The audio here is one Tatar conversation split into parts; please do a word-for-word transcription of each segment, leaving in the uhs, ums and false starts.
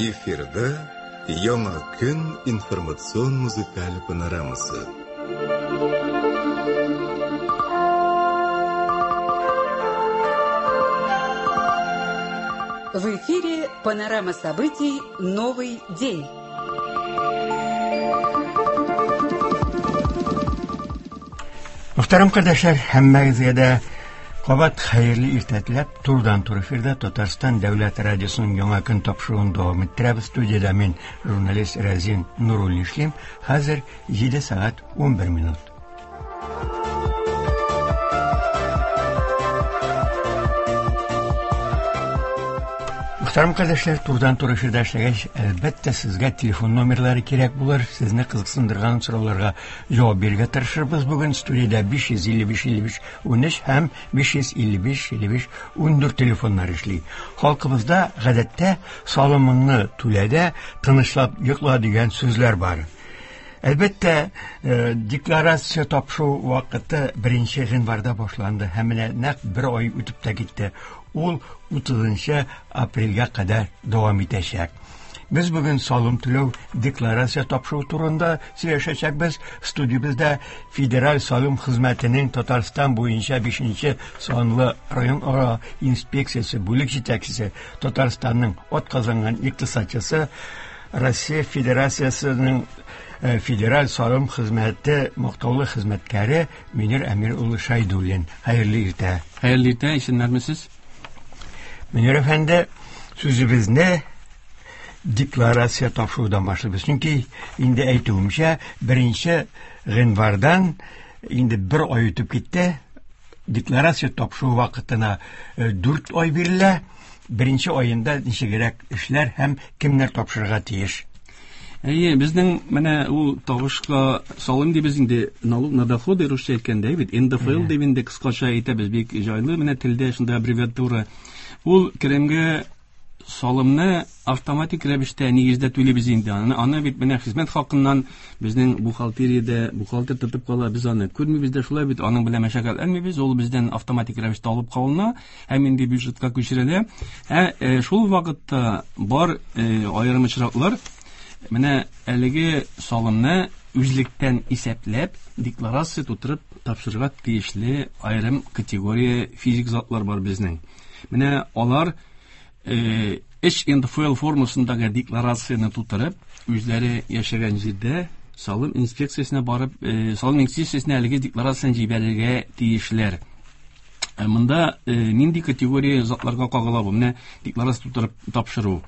Эфирда Яңа көн информацион музыкаль панорамасы. В эфире панорама событий «Новый день». Мөхтәрәм кардәшләр, һәммәгезгә дә кабат хәерле иртә теләп, турыдан-туры эфирда Татарстан Дәүләт радиосының Яңа көн тапшыруын дәвам иттерәбез. Студиядә мин, журналист Разин Нуруллин эшлим. Хәзер җиде сәгать унбер минут. Мөхтәрәм кардәшләр, турыдан-туры эфирдә эшләгәч, әлбәттә, сезгә телефон номерлары кирәк булыр. Сезне кызыксындырган сорауларга җавап бирергә тырышырбыз. Бүген студиядә биш йөз илле биш илле биш унөч һәм биш йөз илле биш илле биш ундүрт телефоннар эшли. Халкыбызда гадәттә салымыңны түлә дә тынычлап йокла дигән сүзләр бар. Әлбәттә, э, декларация тапшыру вакыты беренче гыйнварда башланды һәм менә нәкъ бер ай үтеп тә китте. Ул утызынчы апрельгә кадәр дәвам итәчәк. Без бүген салым түләү декларация тапшыру турында сөйләшәчәкбез. Студиябездә Федераль салым хезмәтенең Татарстан буенча бишенче санлы район ара инспекциясе бүлек җитәкчесе, Татарстанның атказанган икътисадчысы, Россия Федерациясенең, э, Федераль салым хезмәте мактаулы хезмәткәре Мөнир Әмир улы Шәйдуллин. Хәерле иртә. Хәерле иртә, исәннәрмесез? Мөнир әфәнде, сүзебезне декларация тапшырудан башлыйбыз. Чөнки инде әйтүемчә, беренче гыйнвардан инде бер ай үтеп китте. Декларация тапшыру вакытына, э, дүрт ай бирелә. Беренче айында ничегрәк эшләр һәм кемнәр тапшырырга тиеш? Әйе, безнең менә ул табышка салым дибез инде, налог на доходы русча әйткәндә бит, эн дэ эф эл Әйе. дип инде кыскача әйтәбез, бик җайлы менә телдә шунда аббревиатура. Ул керемгә салымны автоматик рәвештә нигездә түлибез инде. Аны, аны бит менә хезмәт хакыннан безнең бухгалтериядә бухгалтер тотып кала, без аны күрмибез дә, шулай бит, аның белән мәшәкатьләнмибез, ул бездән автоматик рәвештә алып калына һәм инде бюджетка күчерелә. Ә, э, шул вакытта бар, э, аерым очраклар, менә әлеге салымны үзлектән исәпләп, декларация тутырып тапшырырга тиешле аерым категория физик затлар бар безнең. Менә алар, э, эч эн дэ эф эл формасындагы декларацияне тутырып, үзләре яшәгән җирдә салым инспекциясенә барып, э, салым инспекциясенә әлеге декларацияне җибәрергә тиешләр. Э, монда, э, нинди категория затларга кагыла бу? Менә декларация тутырып тапшыру.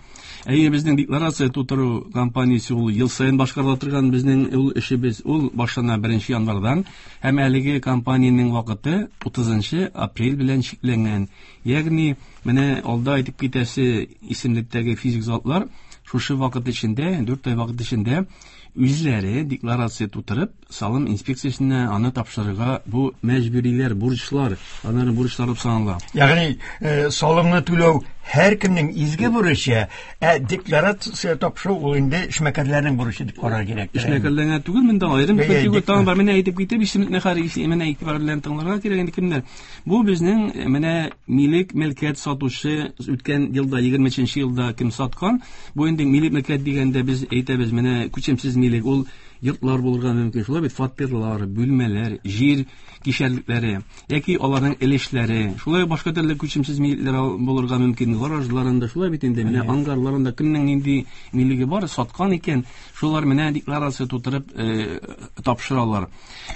Әйе, безнең декларация тутыру кампаниясе ул ел саен башкарыла торган безнең ул эшебез, ул башлана беренче январдан һәм әлеге кампаниянең вакыты утызынчы апрель белән чикләнгән. Ягъни менә алда әйтеп китәсе исемлектәге физик затлар шушы вакыт эчендә, дүрт ай вакыт эчендә үзләре декларация тутырып, салым инспекциясенә аны тапшырырга бу мәҗбүриләр, бурычлар, аларның бурычлары булып санала. Ягъни, э, салымны түләү һәркемнең изге бурычы, ә декларация тапшыру ул инде эшмәкәрләрнең бурычы дип карар кирәк. Эшмәкәрләргә түгел, монда аерым Бәя категория дек- тагын бар. Менә әйтеп китеп, исемлекне хәр исеменә менә игътибар белән тыңларга кирәк инде кемнәр. Бу безнең, э, менә милек мөлкәт сатучы үткән елда, егерме өченче елда кем саткан? Бу инде милек мөлкәт дигәндә без әйтәбез, менә күчемсез милек, ул йортлар булырга мөмкин, шулай бит, фатирлар, бүлмәләр, җир кишәрлекләре яки аларның өлешләре, шулай башка төрле күчемсез милекләр ал-, булырга мөмкин, гаражларында, шулай бит инде, менә Әйе. ангарларында кемнең нинди милеге бар, саткан икән, шулар менә декларация тутырып, э, тапшыралар.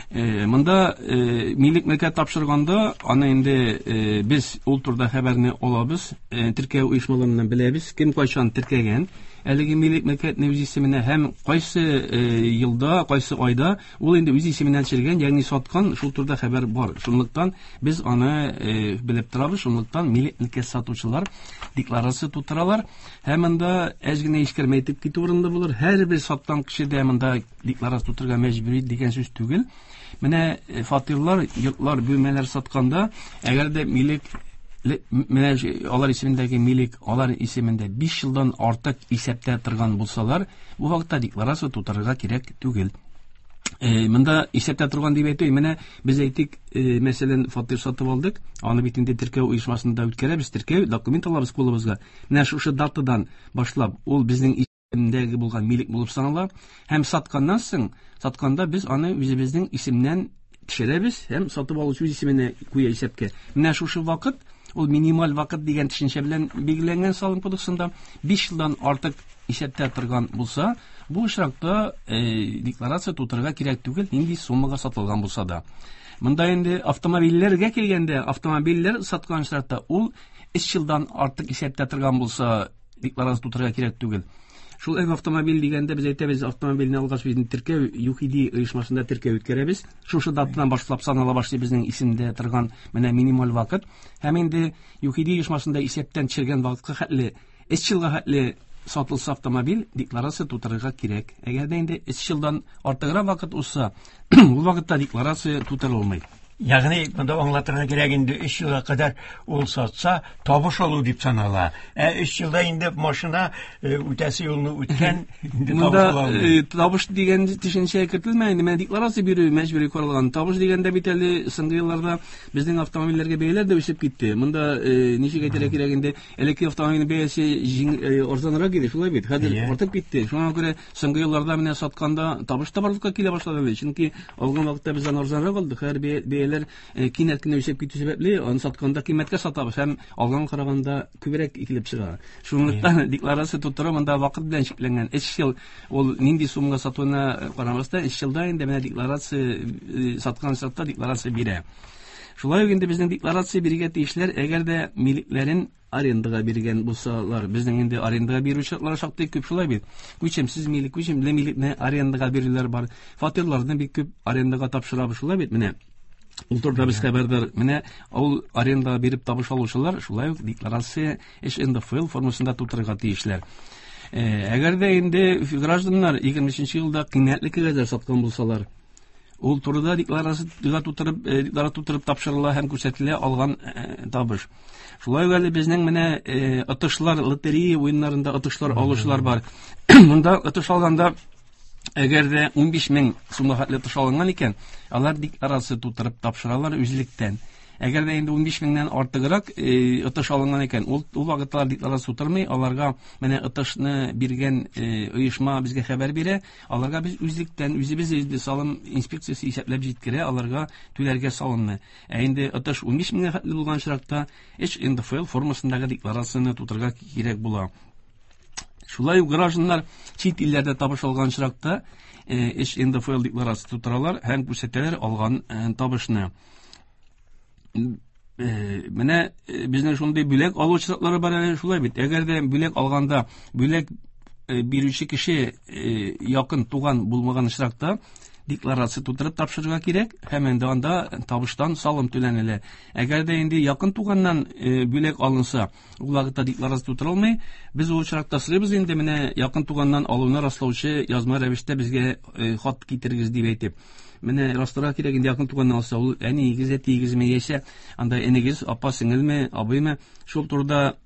Э, монда, э, милек мөлкәт тапшырганда, аны инде, э, без ул турыда хәбәрне алабыз, э, теркәү оешмаларыннан беләбез, кем кайчан теркәгән әлеге милек мөлкәтне үз исеменә һәм кайсы, э, елда, кайсы айда ул инде үз исеменнән төшергән, ягъни саткан, шул турыда хәбәр бар. Шунлыктан без аны, э, белеп торабыз, шунлыктан милек мөлкәт сатучылар декларация тутыралар. Һәм монда әз генә искәрмә әйтеп китү урынлы булыр. Һәрбер саткан кеше дә монда декларация тутырырга мәҗбүри дигән сүз түгел. Менә, э, фатирлар, йортлар, бүлмәләр сатканда, әгәр дә милек ле-, менә ж-, алар исемендәге милек, алар исемендә биш елдан артык исәптә торган булсалар, бу вакытта декларация тутырырга кирәк түгел. Монда исәптә торган дип әйтү, менә без әйтик, мәсәлән, фатир сатып алдык, аны бит инде теркәү оешмасында үткәрәбез, теркәү документ алабыз кулыбызга. Менә шушы датадан башлап ул безнең исемдәге булган милек булып санала һәм сатканнан соң, сатканда без аны үзебезнең исемнән төшерәбез һәм сатып алучы үз исеменә куя исәпкә. Менә шушы вакыт, ул минималь вакыт дигән төшенчә белән билгеләнгән салым кодексында биш елдан артык исәптә торган булса, бу очракта э, декларация тутырырга кирәк түгел, нинди суммага сатылган булса да. Монда инде автомобильләргә килгәндә, автомобильләр саткан очракта ул өч елдан артык исәптә торган булса, декларация тутырырга кирәк түгел. Шул эв автомобиль дигәндә без әйтәбез, автомобильне алгач без теркәү ЮХИДИ оешмасында теркәү үткәрәбез. Шушы датадан башлап санала башлый безнең исемдә торган менә минималь вакыт. Һәм инде ЮХИДИ оешмасында исәптән төшергән вакытка хәтле өч елга хәтле сатылса автомобиль, декларация тутырырга кирәк. Әгәр дә инде өч елдан артыграк вакыт узса, ул вакытта декларация тутырылмый. Ягъни монда аңлатырга кирәк инде өч елга кадәр ул сатса, табыш алу дип санала. Ә өч елда инде машина үтәсе юлны үткән, инде табыш ала алмый. Табыш дигән төшенчә кертелмәгән, инде менә декларация бирү мәҗбүри каралган. Табыш дигәндә бит әле соңгы елларда безнең автомобильләргә бәяләр дә үсеп китте. Монда ничек әйтергә кирәк инде, элекке автомобильнең бәясе арзанрак иде, шулай бит. Хәзер артып китте. Шуңа күрә соңгы елларда менә сатканда табыш та барлыкка килә башлады әле. Чөнки алган вакытта без аны арзанрак алдык. Хәзер бәяләр кинәт кенә үсеп китү сәбәпле, аны сатканда кыйммәткә сатабыз һәм алган караганда күбрәк килеп чыга. Шунлыктан декларация тутыру монда вакыт белән чикләнгән. Өч ел ул нинди суммага сатуына карамастан, өч елда инде менә декларация саткан чакта декларация бирә. Шулай ук инде безнең декларация бирергә тиешләр, әгәр дә милекләрен арендага биргән булсалар, безнең инде арендага бирү шартлары шактый күп, шулай бит. Күчемсез милек, күчемле милекне арендага бирүләр бар. Фатирларны бик күп арендага тапшырабыз, шулай бит менә. Ул турыда без хәбәрдар. Менә ул арендага биреп табыш алучылар шулай ук декларация эш Н Д Ф Л формасында тутырырга тиешләр. Әгәр дә инде гражданнар егерме өченче елда кыйммәтле кәгазьләр саткан булсалар, ул турыда декларация тутырып, декларация тутырып тапшырыла һәм күрсәтелә алган табыш. Шулай ук әле безнең менә отышлар, лотерея уеннарында отышлар алучылар бар. Монда отыш алганда әгәр дә унбиш мең сумга хәтле отыш алынган икән, алар декларация тутырып тапшыралар үзлектән. Әгәр дә инде унбиш меңнән артыграк отыш алынган икән, ул, ул вакытта декларация тутырмый, аларга менә отышны биргән оешма безгә хәбәр бирә, аларга без үзлектән үзебез инде салым инспекциясе исәпләп җиткерә, аларга түләргә салымны. Ә инде отыш унбиш меңгә хәтле булган очракта эш Н Д Ф Л формасындагы декларацияне тутырырга кирәк була. Шулай ук гражданнар чит илләрдә табыш алган очракта эш Н Д Ф Л декларация тутыралар һәм күрсәтәләр алган табышны. Менә безнең шундый бүләк алу очраклары бар әле, шулай бит. Әгәр дә бүләк алганда бүләк бирүче кеше якын туган булмаган очракта декларация тутырып тапшырырга кирәк һәм инде анда табыштан салым түләнелә. Әгәр дә инде якын туганнан бүләк алынса, ул вакытта декларация тутырылмый. Без ул очракта сорыйбыз инде менә якын туганнан алуны раслаучы язма рәвештә безгә хат китерегез дип әйтеп. Менә расларга кирәк инде якын туганнан алса, ул әниегез, әтиегезме яисә анда энегез, апа, сеңелме, абыймы, шул турыда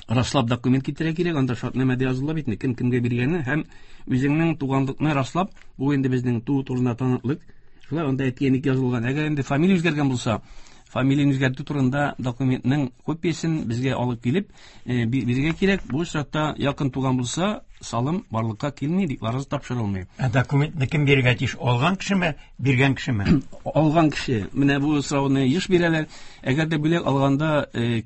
раслап документ китерә кирәк, анда шартнамәдә языла бит, кем кемгә биргәне һәм үзеңнең туганлыкны раслап, бу инде безнең туу турында таныклык. Шулай анда әти-әнилек язылган. Әгәр инде фамилия үзгәргән булса, фамилияне үзгәртү турында документның копиясен безгә алып килеп, бирергә кирәк. Бу очракта якын туган булса, салым барлыкка килми, декларация тапшырылмый. Ә документны кем бирергә тиеш? Алган кешеме, биргән кешеме? Алган кеше. Менә бу сорауны еш бирәләр. Әгәр дә бүләк алганда,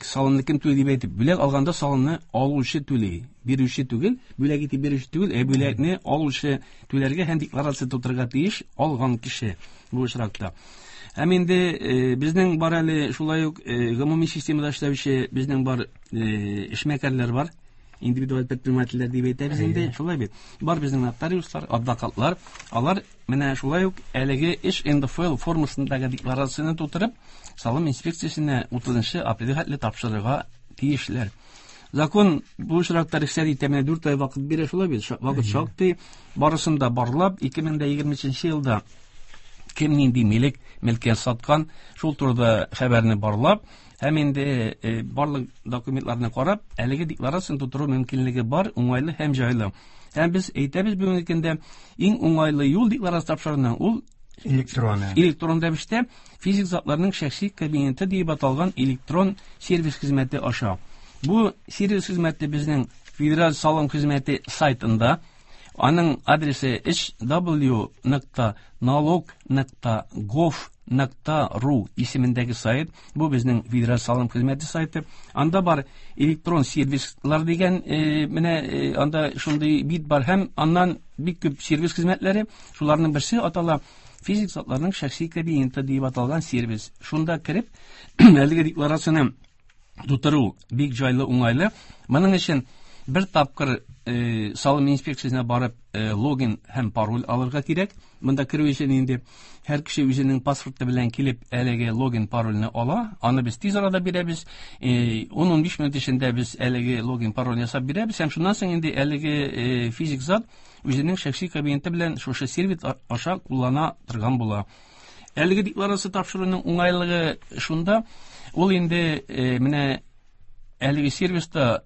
салымны кем түли дип әйтеп, бүләк алганда салымны алучы түли, бирүче түгел, бүләк итеп бирүче түгел, ә бүләкне алучы түләргә һәм декларация тутырырга тиеш алган кеше бу очракта. Һәм инде безнең бар әле шулай ук гомуми системада эшләүче безнең бар эшмәкәрләр бар, индивидуаль предпринимательләр дип әйтәбез инде, шулай бит. Бар безнең нотариуслар, адвокатлар, алар менә шулай ук әлеге эш Н Д Ф Л формасындагы декларацияне тутырып, салым инспекциясенә утызынчы апрельгә хәтле тапшырырга тиешләр. Закон бу очракта рөхсәт итә, менә дүрт ай вакыт бирә, шулай бит. Вакыт шактый, барысын да барлап, ике мең дә егерме өченче елда кем нинди милек, мөлкәт саткан, шул турыда хәбәрне барлап, Һәм инде барлык документларны карап, әлеге декларацияне тутыру мөмкинлеге бар, уңайлы һәм җайлы. Һәм без әйтәбез бүгенге көндә иң уңайлы юл декларация тапшыруның ул электрон. Электрон рәвештә физик затларның шәхси кабинеты дип аталган электрон сервис хезмәте аша. Бу сервис хезмәте безнең Федераль салым хезмәте сайтында, аның адресы эйч дабл ю нокта налог нокта гов нокта ру исемендәге сайт. Бу безнең Федераль салым хезмәте сайты. Анда бар электрон сервислар дигән, э, менә, э, анда шундый бит бар һәм аннан бик күп сервис хезмәтләре, шуларның берсе атала физик затларның шәхси кабинеты дип аталган сервис. Шунда кереп, әлеге декларацияне тутыру бик җайлы, уңайлы. Моның өчен бер тапкыр, э, салым инспекциясенә барып, э, логин һәм пароль алырга кирәк. Монда керү өчен инде һәр кеше үзенең паспорты белән килеп әлеге логин парольне ала. Аны без тиз арада бирәбез. Э, ун-унбиш минут эчендә без әлеге логин пароль ясап бирәбез һәм шуннан соң инде әлеге, э, физик зат үзенең шәхси кабинеты белән шушы сервис а-, аша куллана торган була. Әлеге декларация тапшыруның уңайлыгы шунда, ул инде, э, менә әлеге сервиста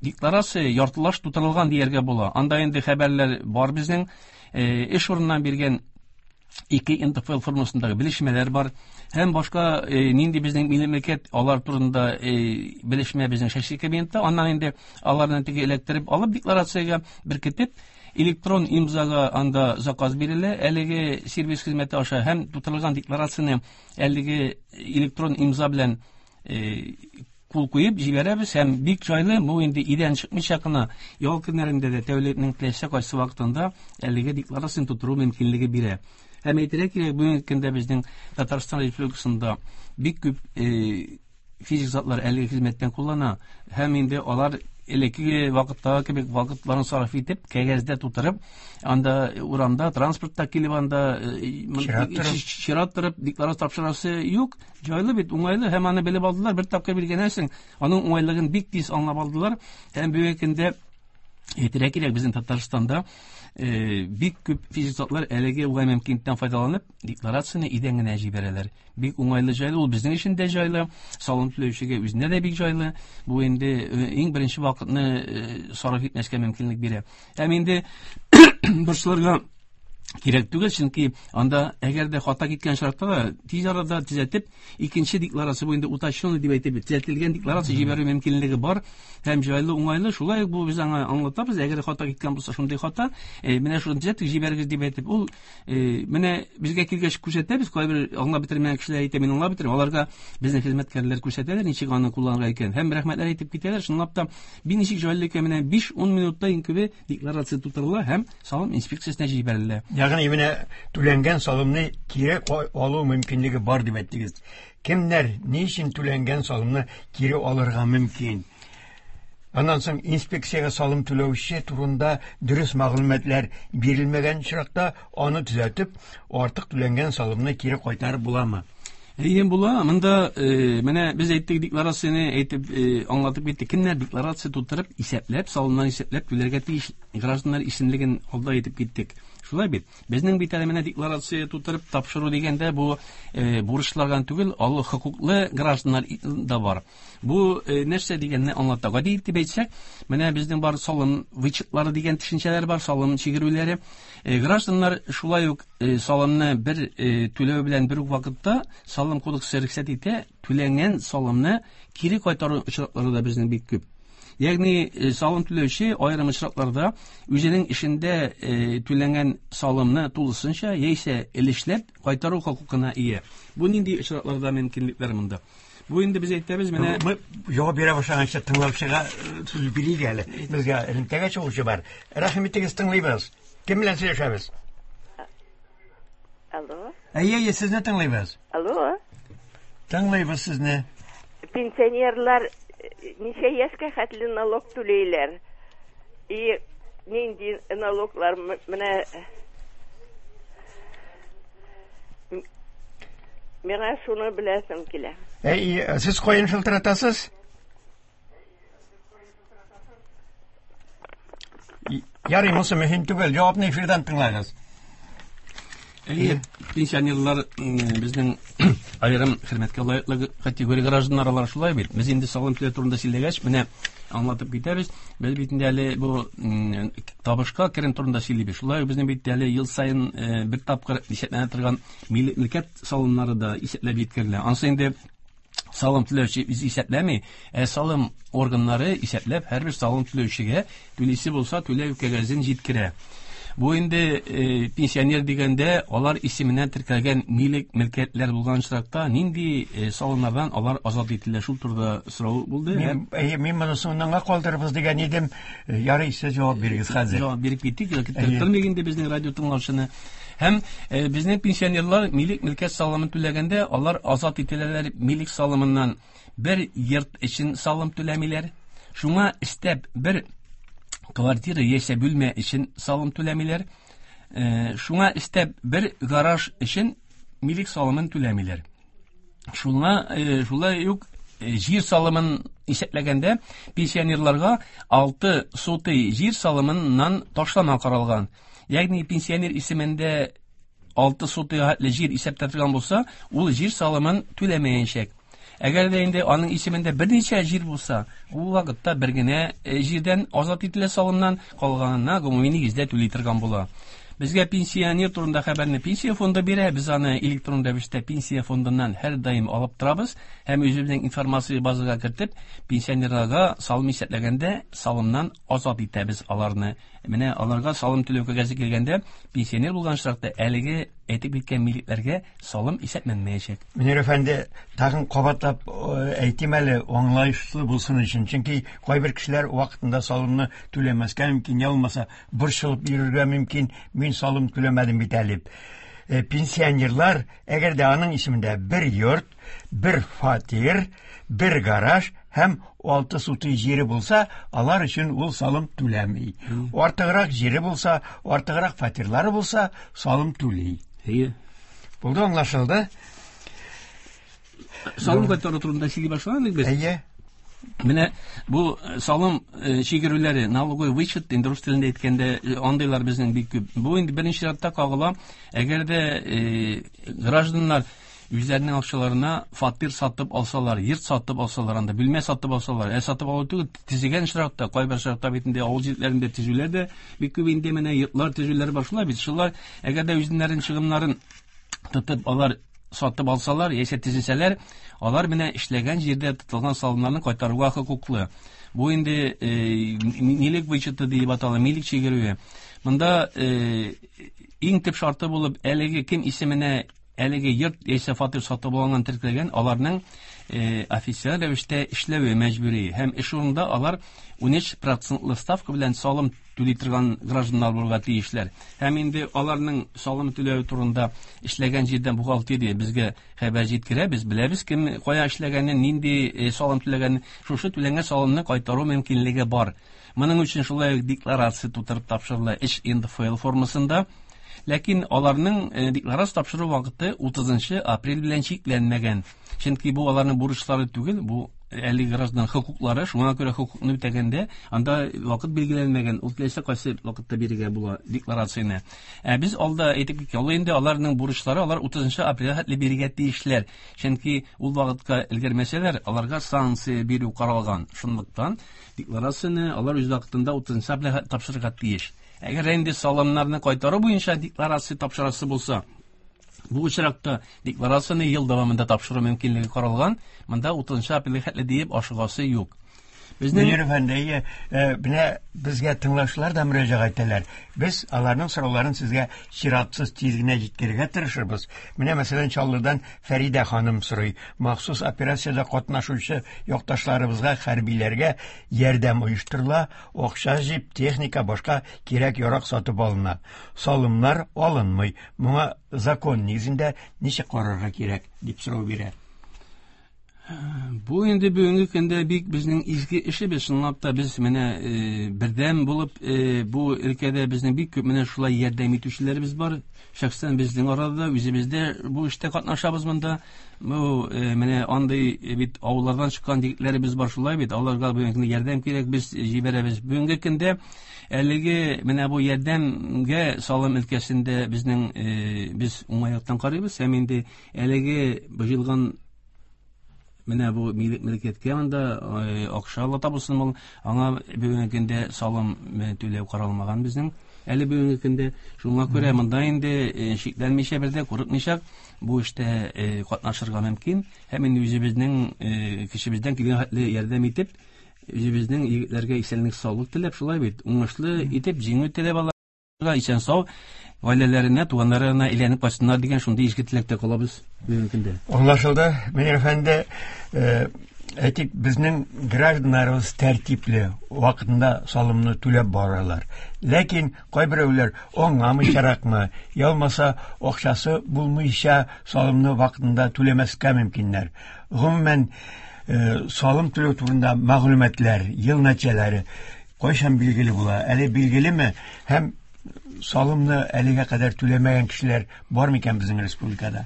декларация яртылаш тутырылган дияргә була. Анда инде хәбәрләр бар безнең, э, эш урыннан биргән ике эн тэ эф эл формасындагы белешмәләр бар һәм башка, э, нинди безнең милли мөлкәт алар турында, э, белешмә безнең шәхси кабинетта. Аннан инде аларны теге эләктереп алып декларациягә беркетеп электрон имзага анда заказ бирелә. Әлеге сервис хезмәте аша һәм тутырылган декларацияне әлеге электрон имза белән, э, кул куеп җибәрәбез һәм бик җайлы, бу инде өйдән чыкмыйча гына ял көннәрендә дә тәүлекнең теләсә кайсы вакытында әлеге декларацияне тутыру мөмкинлеге бирә. Һәм әйтергә кирәк, бүгенге көндә безнең Татарстан Республикасында бик күп, э, физик затлар әлеге хезмәттән куллана һәм инде алар элеккеге вакыттагы кебек вакытларын сарыф итеп, кәгазьдә тутырып, анда урамда, транспортта килеп анда, э, мон- Чират торып. чират торып декларация тапшырасы юк. Җайлы бит, уңайлы һәм аны белеп алдылар. Бер тапкыр биргәннән соң аның уңайлыгын бик тиз аңлап алдылар. Һәм бүгенге көндә әйтергә кирәк, безнең Татарстанда, э, бик күп физик затлар әлеге уңай мөмкинлектән файдаланып, декларацияне өйдән генә җибәрәләр. Бик уңайлы, җайлы, ул безнең өчен дә җайлы, салым түләүчегә үзенә дә бик җайлы. Бу инде, э, иң беренче вакытны, э, сарыф итмәскә мөмкинлек бирә. Һәм инде борчылырга кирәк түгел, чөнки анда әгәр дә хата киткән очракта да тиз арада төзәтеп, икенче декларация бу инде уточненный дип әйтеп, төзәтелгән декларация җибәрү мөмкинлеге бар һәм җайлы, уңайлы. Шулай ук бу без аңа аңлатабыз, әгәр хата киткән булса, шундый хата, э, менә шуны төзәтеп җибәрегез дип әйтеп, ул, э, менә безгә килгәч күрсәтәбез, кайбер аңлап бетермәгән кешеләр әйтә, мин аңлап бетермим, аларга безнең хезмәткәрләр күрсәтәләр, ничек аны кулланырга икән. Һәм рәхмәтләр әйтеп китәләр. Чынлап та, бик ничек җайлы икән, менә биш-ун минутта иң күбе декларация тутырыла һәм салым инспекциясенә җибәрелә. Ягъни менә түләнгән салымны кире ка-, алу мөмкинлеге бар дип әйттегез. Кемнәр ни өчен түләнгән салымны кире алырга мөмкин? Аннан соң инспекциягә салым түләүче турында дөрес мәгълүматлар бирелмәгән очракта аны төзәтеп, артык түләнгән салымны кире кайтарып буламы? Әйе, була. Монда, э, менә без әйттек декларацияне әйтеп, э, аңлатып киттек. Кемнәр декларация тутырып, исәпләп, салымнан исәпләп түләргә тиеш гражданнар исемлеген алда әйтеп киттек. Шулай бит. Безнең бит әле менә декларация тутырып тапшыру дигәндә бу, э, бурычлардан түгел, аллы хокуклы гражданнар да бар. Бу, э, нәрсә дигәнне аңлата. Гади итеп әйтсәк, менә безнең бар салым вычетлары дигән төшенчәләр бар, салым чигерүләре. Э, гражданнар шулай ук, э, салымны бер, э, түләү белән бер үк вакытта салым кодексы рөхсәт итә, түләнгән салымны кире кайтару очраклары да безнең бик күп. Ягъни, э, салым түләүче аерым очракларда үзенең эшендә, э, түләнгән салымны тулысынча яисә өлешләп кайтару хокукына ия. Бу нинди очракларда мөмкинлекләр монда? Бу инде без әйтәбез, менә Бу җавап бирә башлаганчы тыңлаучыга, э, сүз бирик әле. Безгә элемтәгә чыгучы бар. Рәхим итегез, тыңлыйбыз. Кем белән сөйләшәбез? Алло. Әйе, әйе, сезне тыңлыйбыз. Алло. Тыңлыйбыз сезне. Пенсионерлар ничә яшькә хәтле налог түләйләр? И нинди налоглар м-, менә миңа шуны беләсем килә. Әй, сез каян шылтыратасыз? Ярый, монысы мөһим түгел. Җавапны эфирдан тыңлагыз. Әйе, пенсионерлар безнең аерым хөрмәткә лаеклы категория гражданнар алар шулай бит. Без инде салым түләү турында сөйләгәч, менә аңлатып китәбез. Без бит инде әле бу табышка керем турында сөйлибез. Шулай безнең бит әле ел саен бер тапкыр исәпләнә торган милкәт салымнары да исәпләп җиткерелә. Ансы инде салым түләүче үзе исәпләми, ә салым органнары исәпләп һәрбер салым түләүчегә түлисе булса түләү кәгазен җиткерә. Бу инде э, пенсионер дигәндә алар исеменә теркәлгән милек мөлкәтләр булган очракта нинди э, салымнардан алар азат ителә, шул турыда сорау булды. Мин, әйе, мин моны соңыннанга калдырырбыз дигән идем. Ярый, сез җавап бирегез хәзер. Җавап биреп киттек, көттермик инде безнең радио тыңлаучыны. Һәм э, безнең пенсионерлар милек мөлкәт салымын түләгәндә алар азат ителәләр милек салымыннан. Бер йорт өчен салым түләмиләр. Шуңа өстәп бер квартира яисә бүлмә өчен салым түләмиләр. Э, шуңа өстәп бер гараж өчен милек салымын түләмиләр. Шуңа э, шулай ук э, җир салымын исәпләгәндә пенсионерларга алты сотый җир салымыннан ташлама каралган. Ягъни пенсионер исемендә алты сотый хәтле җир исәптә торган булса, ул җир салымын түләмәячәк. Әгәр дә инде аның исемендә берничә җир булса, ул вакытта бер генә җирдән азат ителә салымнан, калганына гомуми нигездә түли торган була. Безгә пенсионер турында хәбәрне пенсия фонды бирә, без аны электрон рәвештә пенсия фондыннан һәр даим алып торабыз һәм үзебезнең информация базага кертеп, пенсионерларга салым исәпләгәндә салымнан азат итәбез аларны. Менә аларга салым түләү кәгазе килгәндә, пенсионер булган очракта әлеге әйтеп киткән милекләргә салым исәпләнмәячәк. Мөнир әфәнде, тагын кабатлап әйтим әле, аңлаешлы булсын өчен, чөнки кайбер кешеләр вакытында салымны түләмәскә мөмкин, я булмаса борчылып йөрергә мөмкин, мин салым түләмәдем бит әле. Пенсионерлар, әгәр дә аның исемендә бер йорт, бер фатир, бер гараж һәм алты сутый җире булса, алар өчен ул салым түләми. Артыграк җире булса, артыграк фатирлары булса, салым түли. Әйе. Булды, аңлашылды. Салым кайтару турында сөйли башладык без. Әйе. Менә бу салым чигерүләре, налоговый вычет, инде рус телендә әйткәндә, андыйлар безнең бик күп. Бу инде беренче чиратта кагыла, әгәр дә гражданнар үзләренең акчаларына фатир сатып алсалар, йорт сатып алсалар, анда бүлмә сатып алсалар, ә сатып алу түгел, төзегән очракта, кайбер очракта бит инде авыл җирләрендә төзүләр дә бик күп инде менә йортлар төзүләр башлап бит. Шулар әгәр дә үзләренең чыгымнарын тотып алар сатып алсалар, яисә төзесәләр, алар менә эшләгән җирдә тотылган салымнарны кайтаруга хокуклы. Бу инде милек вычеты дип атала, милек чигерүе. Монда иң төп шарты булып әлеге кем исеменә әлеге йорт яисә фатир сатып алган теркәлгән, аларның официаль рәвештә эшләве мәҗбүри һәм эш урынында алар ун өч процентлы ставка белән салым түли торган гражданнар булырга тиешләр. Һәм инде аларның салым түләве турында эшләгән җирдән бухгалтерия безгә хәбәр җиткерә, без беләбез кем кая эшләгәнен, нинди салым түләгәнен, шушы түләнгән салымны кайтару мөмкинлеге бар. Моның өчен шулай ук декларация тутырып тапшырыла эш эн дэ эф эл формасында. Ләкин аларның декларация тапшыру вакыты утызынчы апрель белән чикләнмәгән. Чөнки бу аларның бурычлары түгел, бу әлеге граждан хокуклары, шуңа күрә хокукны үтәгәндә анда вакыт билгеләнмәгән, ул теләсә кайсы вакытта бирергә була декларацияне. Ә без алда әйтеп киткән, ул инде аларның бурычлары, алар утызынчы апрельгә хәтле бирергә тиешләр. Чөнки ул вакытка өлгермәсәләр, аларга санкция бирү каралган. Шунлыктан декларацияне алар үз вакытында утызынчы апрельгә тапшырырга тиеш. Әгәр инде салымнарны кайтару буенча декларация тапшырасы булса, бу очракта декларацияне ел дәвамында тапшыру мөмкинлеге каралган, монда утызынчы апрельгә хәтле диеп ашыгасы юк. Безнең Мөнир әфәнде, менә безгә тыңлаучылар да мөрәҗәгать итәләр. Без аларның сорауларын сезгә чиратсыз тиз генә җиткерергә тырышырбыз. Менә мәсәлән Чаллыдан Фәридә ханым сорый. Махсус операциядә катнашучы якташларыбызга, хәрбиләргә ярдәм оештырыла, акча җыеп, техника, башка кирәк-ярак сатып алына. Салымнар алынмый. Моңа закон нигезендә ничек карарга кирәк дип сорау бирә. Бу инде бүгенге көндә бик безнең изге эшебез. Чынлап та без менә э, бердәм булып э, бу өлкәдә безнең бик күп менә шулай ярдәм итүчеләребез бар. Шәхсән безнең арада үзебез дә бу эштә катнашабыз монда. Бу э, менә андый бит авыллардан чыккан егетләребез бар шулай бит. Аларга бүгенге көндә ярдәм кирәк, без җибәрәбез. Бүгенге көндә әлеге менә бу ярдәмгә салым өлкәсендә безнең без уңай яктан карыйбыз һәм инде әлеге җыелган менә бу милек мөлкәткә анда акча ала табылсын, ул аңа бүгенге көндә салым түләү каралмаган безнең әле бүгенге көндә. Шуңа күрә монда инде шикләнмичә, бер дә курыкмыйча бу эштә катнашырга мөмкин һәм инде үзебезнең кешебездән килгән хәтле ярдәм итеп үзебезнең егетләргә исәнлек саулык теләп, шулай бит, уңышлы итеп җиңү теләп аларга исән сау гаиләләренә, туганнарына әйләнеп кайтсыннар дигән шундый изге теләктә калабыз бүгенге көндә. Аңлашылды, Мөнир әфәнде. Әйтик, безнең гражданнарыбыз тәртипле, вакытында салымны түләп баралар. Ләкин кайберәүләр аңламыйчаракмы, я булмаса акчасы булмыйча салымны вакытында түләмәскә мөмкиннәр. Гомумән, салым түләү турында мәгълүматлар, ел нәтиҗәләре кайчан билгеле була? Әле билгелеме? Һәм салымны әлегә кадәр түләмәгән кешеләр бар микән безнең республикада?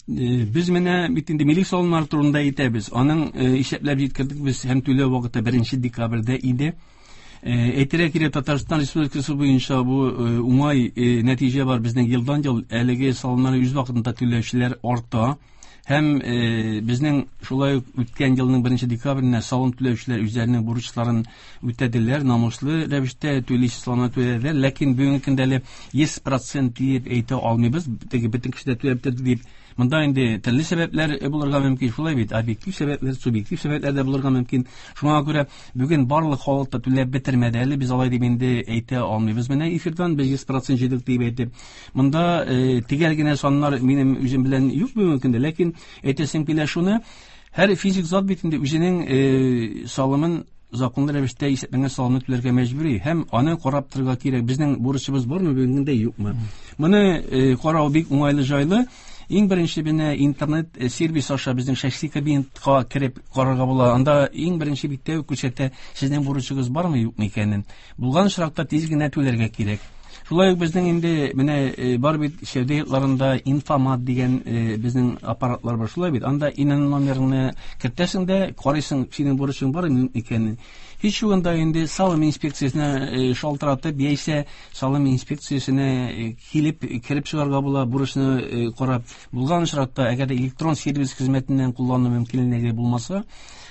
Без менә бит инде милек салымнары турында әйтәбез. Аның исәпләп җиткердек без һәм түләү вакыты беренче декабрьдә иде. Әйтергә кирәк, Татарстан Республикасы буенча бу уңай нәтиҗә бар. Безнең елдан-ел әлеге салымнарны үз вакытында түләүчеләр арта. Һәм безнең шулай ук үткән елның беренче декабренә салым түләүчеләр үзләренең бурычларын үтәделәр, намуслы рәвештә түлисе салымны түләделәр. Ләкин бүгенге көндә әле йөз процент диеп әйтә алмыйбыз. Теге бөтен кеше дә түләп бетерде дип. Монда инде төрле сәбәпләр булырга мөмкин, шулай бит, объектив сәбәпләр, субъектив сәбәпләр дә булырга мөмкин. Шуңа күрә бүген барлык халык та түләп бетермәде әле, без алай дип инде әйтә алмыйбыз. Менә эфирдан без йөз процент җыйдык дип әйтеп. Монда төгәл генә саннар минем үзем белән юк бүгенге көндә, ләкин әйтәсем килә шуны, һәр физик зат бит инде үзенең салымын законлы рәвештә исәпләнгән салымны түләргә мәҗбүри һәм аны карап торырга кирәк. Безнең бурычыбыз бармы бүгенге көндә, юкмы? Моны карау бик уңайлы, җайлы. Иң беренче менә интернет сервис аша безнең шәхси кабинетка кереп карарга була. Анда иң беренче биттә үк күрсәтә сезнең бурычыгыз бармы, юкмы икәнен. Булган очракта тиз генә түләргә кирәк. Шулай ук безнең инде менә бар бит сәүдә йортларында инфомат дигән безнең аппаратлар бар, шулай бит. Анда ИНН номерыңны кертәсең дә, карыйсың, синең бурычың бар икәнен. Һич югында инде салым инспекциясенә шалтыратып, яисә салым инспекциясенә килеп кереп чыгарга була, бурычны карап. Булган очракта, әгәр дә электрон сервис хезмәтеннән куллану мөмкинлеге булмаса,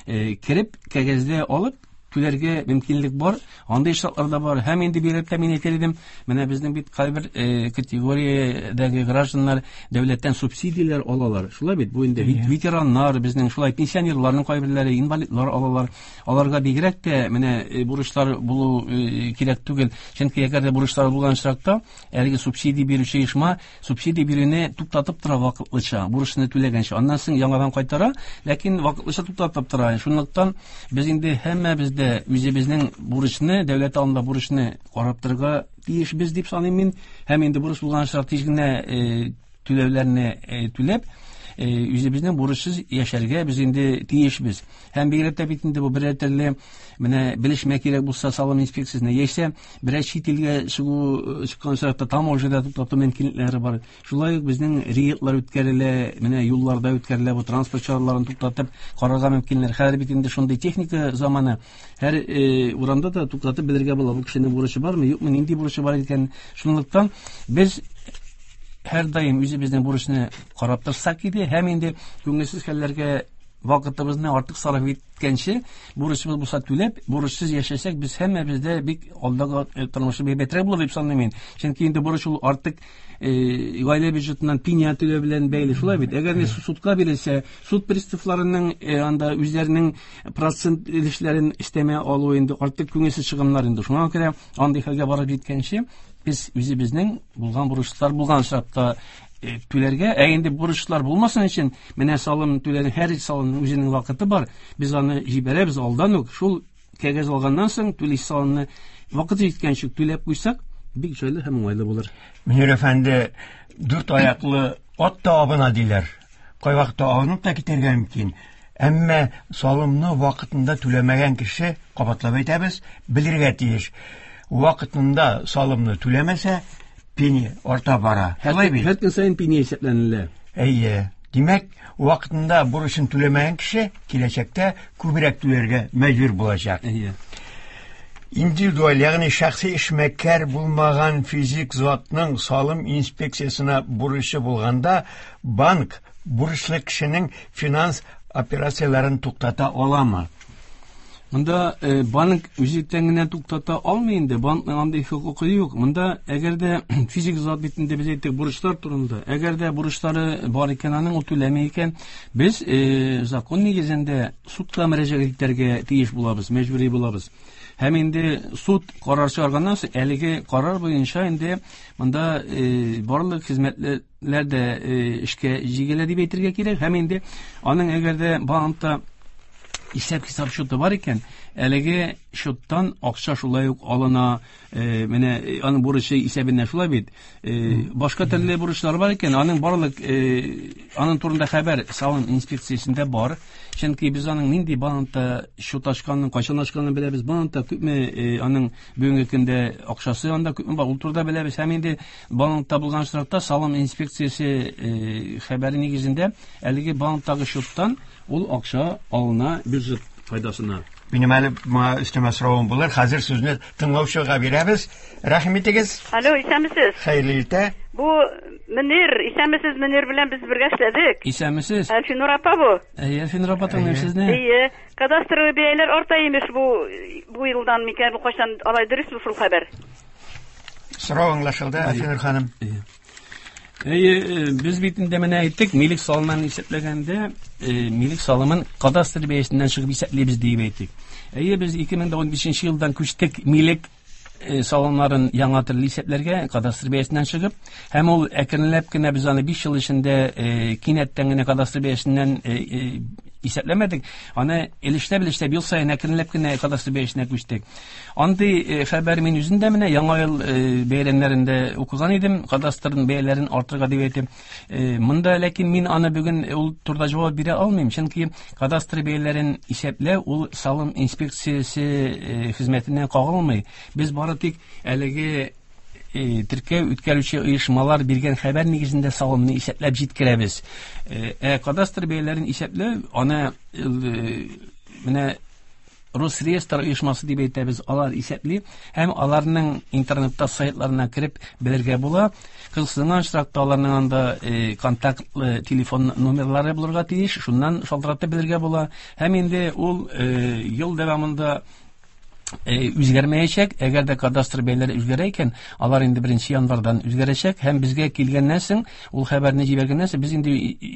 кереп кәгазьдә алып түләргә мөмкинлек бар. Андый шартлар да бар. Һәм инде бигрәк тә мин әйтер идем, менә безнең бит кайбер категориядәге гражданнар дәүләттән субсидияләр алалар. Шулай бит, бу инде ветераннар, безнең шулай пенсионерларның кайберләре, инвалидлар алалар. Аларга бигрәк тә менә бурычлар булу кирәк түгел. Чөнки әгәр дә бурычлар булган очракта, әлеге субсидия бирүче оешма субсидия бирүне туктатып тора вакытлыча, бурычны түләгәнче. Аннан соң яңадан кайтара, ләкин вакытлыча туктатып тора. Шунлыктан без инде һәммәбез дә үзебезнең бурычны, дәүләт алдында бурычны карап торырга тиешбез дип саныйм мин. Һәм инде бурыч булган очракта тиз генә түләүләрне түләп, үзебезнең бурычсыз яшәргә без инде тиешбез. Һәм бигрәк тә бит инде бу берәр төрле менә белешмә кирәк булса салым инспекциясенә, яисә берәр чит илгә чыгу чыккан очракта таможняда туктату мөмкинлекләре бар. Шулай ук безнең рейдлар үткәрелә, менә юлларда үткәрелә, бу транспорт чараларын туктатып карарга мөмкинләр. Хәзер бит инде шундый техника заманы. Һәр урамда да туктатып белергә була, бу кешенең бурычы бармы, юкмы, нинди бурычы бар икән. Шунлыктан без һәр даим үзебезнең бурычны карап торсак иде, һәм инде күңелсез хәлләргә вакытыбызны артык сарыф иткәнче, бурычыбыз булса түләп, бурычсыз яшәсәк, без һәммәбез дә бик алдагы тормышы бәйбәтрәк булыр дип саныйм мин. Чөнки инде бурыч ул артык гаилә бюджетыннан пеня түләү белән бәйле, шулай бит. Әгәр судка бирелсә, суд приставларының анда үзләренең процент өлешләрен өстәмә алу инде артык күңелсез чыгымнар инде. Шуңа күрә андый хәлгә барып җиткәнче, без үзебезнең булган бурычлар булган очракта түләргә, ә инде бурычлар булмасын өчен, менә салым түләрнең һәр салымның үзенең вакыты бар. Без аны җибәрәбез алдан ук. Шул кәгазь алганнан соң түлисе салымны вакыты җиткәнче түләп куйсак, бик җайлы һәм уңайлы булыр. Мөнир әфәнде, дүрт аяклы ат та абына диләр. Кайвакытта абынып та китәргә мөмкин. Әмма салымны вакытында түләмәгән кеше, кабатлап әйтәбез, белергә тиеш. Вакытында салымны түләмәсә, пени арта бара. Шулай бит? Һәр көн саен пени исәпләнелә. Әйе. Димәк, вакытында бурычын түләмәгән кеше киләчәктә күбрәк түләргә мәҗбүр булачак. Әйе. Индивидуаль, ягъни шәхси эшмәкәр булмаган физик затның салым инспекциясенә бурычы булганда, банк бурычлы кешенең финанс операцияләрен туктата аламы? Монда э, банк үзлектән генә туктата алмый инде. Банкның андый хокукы юк. Монда әгәр дә физик зат бит инде без әйттек бурычлар турында. Әгәр дә бурычлары бар икән, аның ул түләми икән, без э, закон нигезендә судка мөрәҗәгать итәргә тиеш булабыз, мәҗбүри булабыз. Һәм инде суд карар чыгарганнан соң, әлеге карар буенча инде монда э, барлык хезмәтләр дә э, эшкә җигелә дип әйтергә кирәк. Һәм инде аның әгәр дә банкта исәп-хисап счеты бар икән, әлеге счеттан акча шулай ук алына, э, менә э, аның бурычы исәбеннән шулай бит. Э, башка төрле бурычлар бар икән, аның барлык э, аның турында хәбәр салым инспекциясендә бар. Чөнки без аның нинди банкта счет ачканын, кайчан ачканын беләбез. Банкта күпме э, аның бүгенге көндә акчасы анда күпме бар, ул турыда беләбез. Һәм инде банкта булган очракта салым инспекциясе э, хәбәре нигезендә әлеге банктагы счеттан ул акча алына бюджет файдасына. Минем әле моңа өстәмә соравым булыр. Хәзер сүзне тыңлаучыга бирәбез. Рәхим итегез. Алло, исәнмесез. Хәерле иртә. Бу Мөнир, исәнмесез, Мөнир белән без бергә эшләдек. Исәнмесез. Әлфинур апа бу. Әйе, Әлфинур апа, тыңлыйм сезне. Әйе, кадастровый бәяләр арта имеш бу бу елдан микән, бу кайчан алай дөресме шул хәбәр? Сорау аңлашылды, Әлфинур ханым. Әйе. Әйе, без бит инде менә әйттек, милек салымын исәпләгәндә, милек салымын кадастр бәясеннән чыгып исәплибез дип әйттек. Әйе, без ике мең дә унбишенче елдан күчтек милек салымнарын яңа төрле исәпләргә, кадастр бәясеннән чыгып, һәм ул әкренләп кенә без аны биш ел эчендә кинәттән генә кадастр бәясеннән исәпләмәдек, аны өлешләп-өлешләп ел саен әкренләп кенә кадастр бәясенә күчтек. Андый хәбәр мин үзем дә менә Яңа ел бәйрәмнәрендә укыган идем, кадастрның бәяләрен артырга дип әйтеп. Монда ләкин мин аны бүген ул турыда җавап бирә алмыйм, чөнки кадастр бәяләрен исәпләү ул салым инспекциясе хезмәтенә кагылмый. Без бары тик әлеге теркәү үткәрүче оешмалар биргән хәбәр нигезендә салымны исәпләп җиткерәбез. Ә кадастр бәяләрен исәпләү аны менә Росреестр оешмасы дип әйтәбез, алар исәпли һәм аларның интернетта сайтларына кереп белергә була. Кызыксынган очракта аларның анда контактлы телефон номерлары булырга тиеш, шуннан шалтыратып белергә була. Һәм инде ул ел дәвамында үзгәрмәячәк. Әгәр дә кадастр бәяләре үзгәрә икән, алар инде беренче январдан үзгәрәчәк һәм безгә килгәннән соң, ул хәбәрне җибәргәннән соң, без инде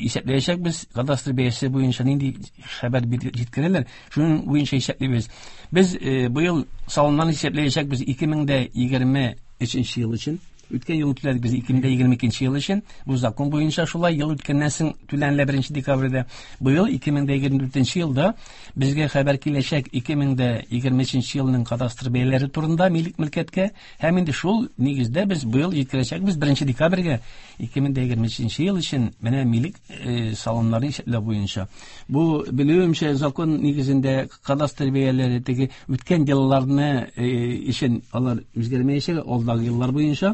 исәпләячәкбез, кадастр бәясе буенча нинди хәбәр җиткерәләр, шуның буенча исәплибез. Без быел салымнан исәпләячәкбез ике мең дә егерме өченче ел өчен. Үткән ел түләдек без ике мең дә егерме икенче ел өчен. Бу закон буенча шулай ел үткәннән соң түләнелә беренче декабрьдә. Быел ике мең дә егерме дүртенче елда безгә хәбәр киләчәк ике мең дә егерме өченче елның кадастр бәяләре турында милек мөлкәткә, һәм инде шул нигездә без быел җиткерәчәкбез беренче декабрьгә ике мең дә егерме өченче ел өчен менә милек салымнарын исәпләү буенча. Бу белүемчә закон нигезендә кадастр бәяләре теге үткән елларны өчен алар үзгәрмәячәк, алдагы еллар буенча.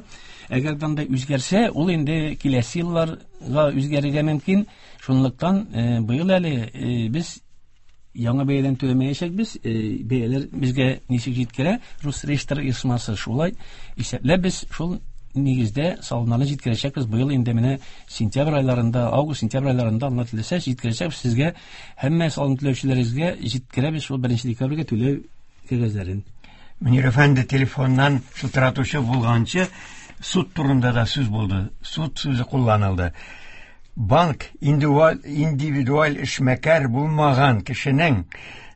Әгәр дә анда үзгәрсә, ул инде киләсе елларга үзгәрергә мөмкин. Шунлыктан быел әле без яңа бәядән түләмәячәкбез. Бәяләр безгә ничек җиткерә, Росреестр оешмасы шулай исәпләп без шул нигездә салымнарны җиткерәчәкбез. Быел инде менә сентябрь айларында, август, сентябрь айларында, Алла теләсә, җиткерәчәкбез сезгә, һәммә салым түләүчеләрегезгә җиткерәбез шул беренче декабрьгә түләү кәгазьләрен. Мөнир әфәнде, телефоннан шылтыратучы булганчы суд турында да сүз булды. Суд сүзе кулланылды. Банк индивидуаль эшмәкәр булмаган кешенең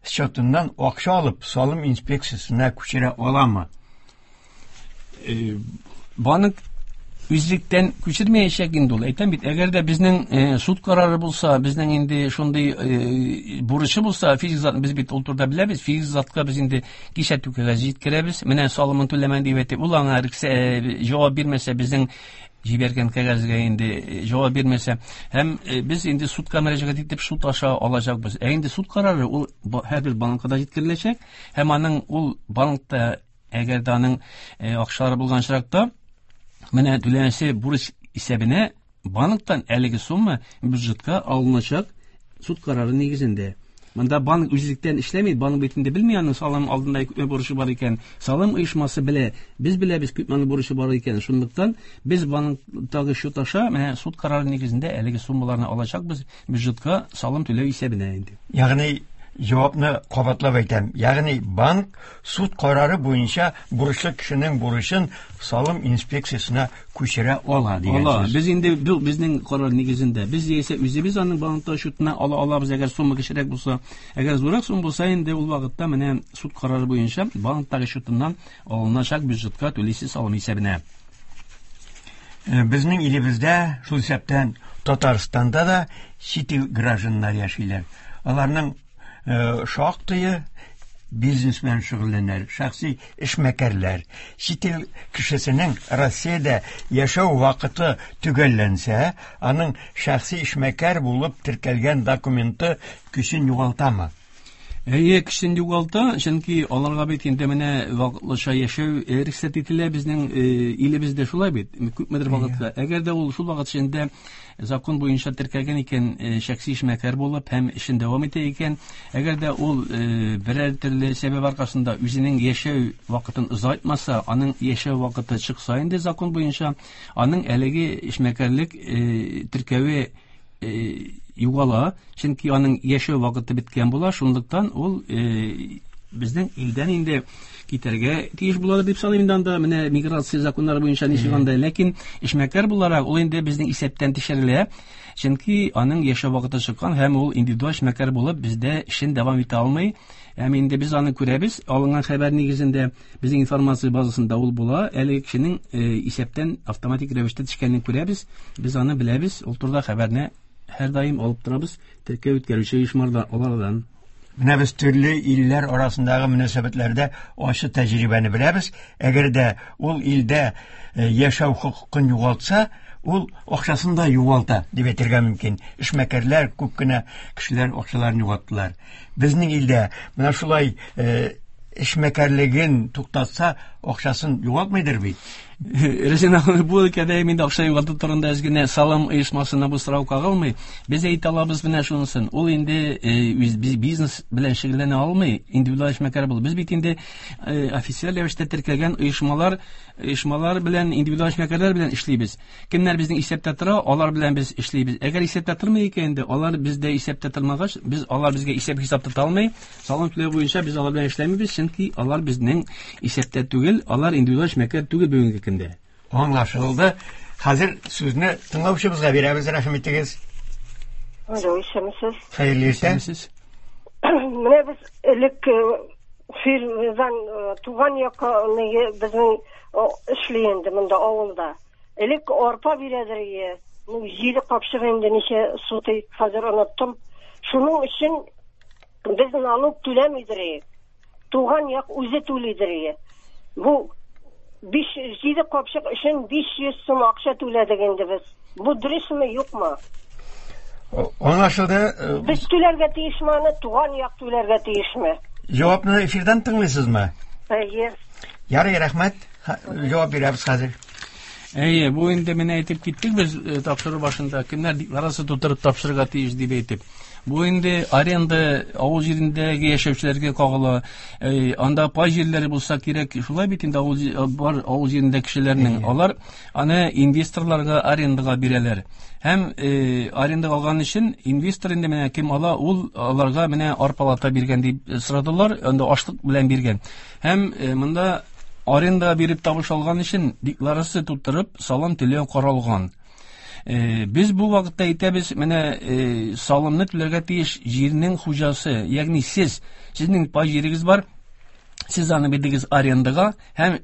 счетыннан акча алып салым инспекциясенә күчерә аламы? Банк үзлектән күчермәячәк инде ул. Әйтәм бит, әгәр дә безнең суд карары булса, безнең инде шундый бурычы булса, физик зат, без бит ул турыда беләбез, физик затка без инде кисәтү кәгазе җиткерәбез. Менә салымын түләмән дип әйтеп, ул аңа җавап бирмәсә, безнең җибәргән кәгазьгә инде җавап бирмәсә, һәм без инде судка мөрәҗәгать итеп суд аша алачакбыз. Ә инде суд карары ул һәрбер банкка да җиткереләчәк, һәм аның ул банкта әгәр дә аның акчалары булган очракта, менә түләнәсе бурыч исәбенә банктан әлеге сумма бюджетка алыначак суд карары нигезендә. Монда банк үзлектән эшләми, банк бит инде белми аның салым алдында күпме бурычы бар икән. Салым оешмасы белә, без беләбез күпме аның бурычы бар икән. Шунлыктан без банктагы счет аша менә суд карары нигезендә әлеге суммаларны алачакбыз бюджетка салым түләү исәбенә инде. Ягъни җавапны кабатлап әйтәм. Ягъни банк суд карары буенча бурычлы кешенең бурычын салым инспекциясенә күчерә ала дигән сүз. Без инде бу безнең карар нигезендә. Без яисә үзебез аның банкта счетына ала алабыз, әгәр сумма кечерәк булса, әгәр зуррак сумма булса, инде ул вакытта менә суд карары буенча банктагы счетыннан алыначак бюджетка түлисе салым исәбенә. Безнең илебездә, шул исәптән Татарстанда да чит ил гражданнар яшиләр. Аларның шактые бизнес белән шөгыльләнәләр, шәхси эшмәкәрләр. Чит ил кешесенең Россиядә яшәү вакыты төгәлләнсә, аның шәхси эшмәкәр булып теркәлгән документы көчен югалтамы? Әйе, көчен югалта, чөнки аларга бит инде менә вакытлыча яшәү рөхсәт ителә безнең илебездә, шулай бит, күпмедер вакытка. Әгәр дә ул шул вакыт эчендә закон буенча теркәлгән икән, шәхси эшмәкәр булып һәм эшен дәвам итә икән, әгәр дә ул берәр төрле сәбәп аркасында үзенең яшәү вакытын озайтмаса, аның яшәү вакыты чыкса инде закон буенча, аның әлеге эшмәкәрлек теркәве югала, чөнки аның яшәү вакыты беткән була, шунлыктан ул безнең илдән инде китәргә тиеш була дип саныйм инде анда менә миграция законнары буенча ничек анда, ләкин эшмәкәр буларак ул инде безнең исәптән төшерелә, чөнки аның яшәү вакыты чыккан һәм ул индивидуаль эшмәкәр булып бездә эшен дәвам итә алмый. Һәм инде без аны күрәбез, алынган хәбәр нигезендә безнең информация базасында ул була, әлеге кешенең исәптән автоматик рәвештә төшкәнен күрәбез, без аны беләбез, ул турыда хәбәрне һәр даим алып торабыз, теркәү үткәрүче оешмалардан, алардан. Менә без төрле илләр арасындагы мөнәсәбәтләрдә ачы тәҗрибәне беләбез. Әгәр дә ул илдә яшәү хокукын югалтса, ул акчасын да югалта дип әйтергә мөмкин. Эшмәкәрләр, күп кенә кешеләр акчаларын югалттылар. Безнең илдә менә шулай эшмәкәрлеген туктатса, акчасын югалтмыйдыр бит. Рәсен бу өлкәдә инде акча югалту турында әз генә салым оешмасына бу сорау кагылмый. Без әйтә алабыз менә шунысын. Ул инде үз бизнес белән шөгыльләнә алмый, индивидуаль эшмәкәр булып. Без бит инде официаль рәвештә теркәлгән оешмалар, оешмалар белән, индивидуаль эшмәкәрләр белән эшлибез. Кемнәр безнең исәптә тора, алар белән без эшлибез. Әгәр исәптә тормый икән инде, алар бездә исәптә тормагач, без алар безгә исәп-хисап тота алмый. Салым түләү буенча без алар белән эшләмибез, чөнки алар безнең исәптә түгел, алар индивидуаль эшмәкәр түгел бүгенге көндә. Аңлашылды. Хәзер сүзне тыңлаучыбызга бирәбез, рәхим итегез. Алло, исәнмесез. Хәерле иртә. Менә без элек фирмадан туган якка безнең эшли инде монда авылда. Элек арпа бирәдер ие. Ну, җиде капчык инде ничә сутый, хәзер оныттым. Шуның өчен без налог түләмидер. Туган як үзе түлидер. Бу биш җиде капчык өчен биш йөз сум акча түләдек инде без. Бу дөресме, юкмы? Аңлашылды. Без түләргә тиешме аны, туган як түләргә тиешме? Җавапны эфирдан тыңлыйсызмы? Әйе. Ярый, рәхмәт. Җавап бирәбез хәзер. Әйе, бу инде менә әйтеп киттек без тапшыру башында, кемнәр декларация тутырып тапшырырга тиеш дип әйтеп. Бу инде аренда авыл җирендәге яшәүчеләргә кагыла. Анда пай җирләре булса кирәк, шулай бит инде авыл бар авыл җирендә кешеләрнең, алар аны инвесторларга арендага бирәләр. Һәм арендага алган өчен инвестор инде менә кем ала, ул аларга менә арпалата биргән дип сорадылар, анда ашлык белән биргән. Һәм монда аренда биреп табыш алган өчен декларация тутырып салым түләү каралган. Без бу вакытта әйтәбез, менә салымны түләргә тиеш җирнең хуҗасы, ягъни сез, сезнең пай җирегез бар, сез аны бирдегез арендага, һәм